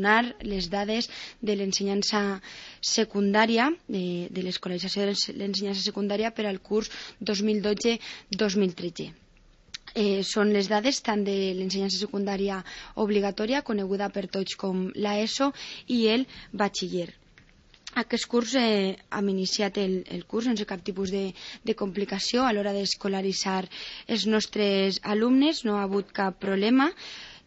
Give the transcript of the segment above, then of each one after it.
donar les dades de l'ensenyança secundària, de l'escolarització de l'ensenyança secundària per al curs 2012-2013. Són les dades tant de l'ensenyança secundària obligatòria, coneguda per tots com l'ESO, i el batxiller. Aquest curs hem iniciat el curs sense cap tipus de complicació a l'hora d'escolaritzar els nostres alumnes. No ha hagut cap problema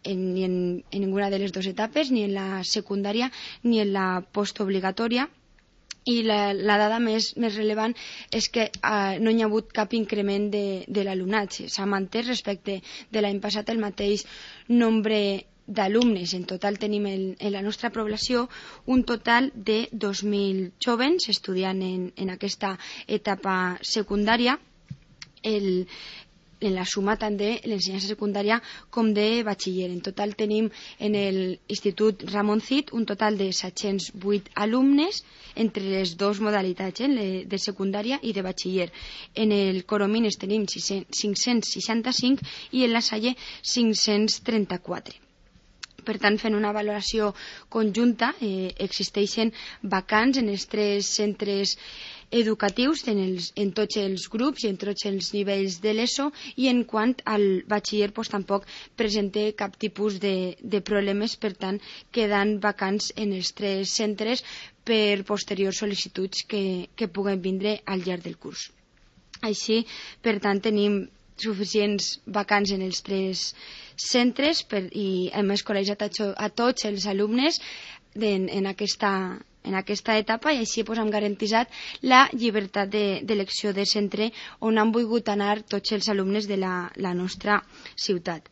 ni en ninguna de les dues etapes, ni en la secundària ni en la postobligatòria. I la dada més rellevant és que no hi ha hagut cap increment de l'alumnat. S'ha mantès respecte de l'any passat el mateix nombre d'alumnes. En total tenim en la nostra població un total de 2.000 jóvens estudiant en aquesta etapa secundària, en la suma tant de l'ensenyança secundària com de batxiller. En total tenim en l'Institut Ramon Cid un total de 708 alumnes entre les dues modalitats, de secundària i de batxiller. En el Coromines tenim 565 i en la Salle 534. Per tant, fent una valoració conjunta, existeixen vacants en els tres centres educatius, en tots els grups i en tots els nivells de l'ESO, i en quant al batxiller tampoc presenta cap tipus de problemes, per tant, quedant vacants en els tres centres per posteriors sol·licituds que puguen vindre al llarg del curs. Així, per tant, tenim suficients vacants en els tres centres i hem escolaritzat a tots els alumnes en aquesta etapa, i així hem garantit la llibertat d'elecció de centre on han volgut anar tots els alumnes de la nostra ciutat.